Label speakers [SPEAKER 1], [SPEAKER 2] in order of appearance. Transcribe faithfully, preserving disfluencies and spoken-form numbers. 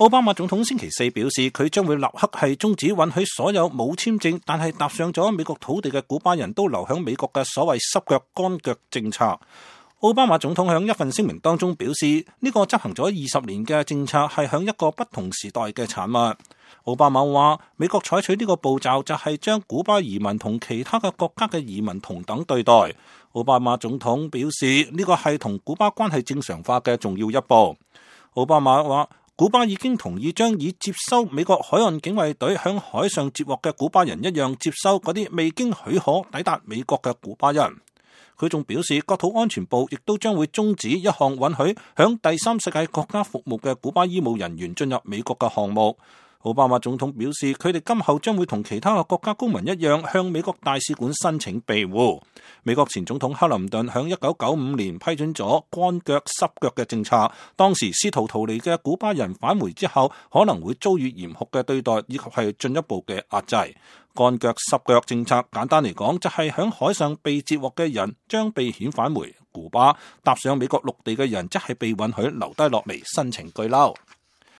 [SPEAKER 1] 奧巴馬總統星期四表示，佢將會立刻係終止允許所有冇簽證但係踏上咗美國土地嘅古巴人都留響美國嘅所謂濕腳乾腳政策。奧巴馬總統響一份聲明當中表示，呢個執行咗二十年嘅政策係響一個不同時代嘅產物。奧巴馬話，美國採取呢個步驟就係將古巴移民同其他嘅國家嘅移民同等對待。奧巴馬總統表示，呢個係同古巴關係正常化嘅重要一步。奧巴馬話，古巴已經同意將以接收美國海岸警衛隊響海上接獲嘅古巴人一樣接收嗰啲未經許可抵達美國嘅古巴人。佢仲表示，國土安全部亦都將會終止一項允許響第三世界國家服務嘅古巴醫務人員進入美國嘅項目。奧巴馬總統表示，佢哋今後將會同其他嘅國家公民一樣，向美國大使館申請庇護。美國前總統克林頓響一九九五年批准咗乾腳濕腳嘅政策，當時試圖逃離嘅古巴人返回之後，可能會遭遇嚴酷嘅對待，以及係進一步嘅壓制。乾腳濕腳政策簡單嚟講，就係響海上被截獲嘅人將被遣返回古巴，踏上美國陸地嘅人則係被允許留低落嚟申請居留。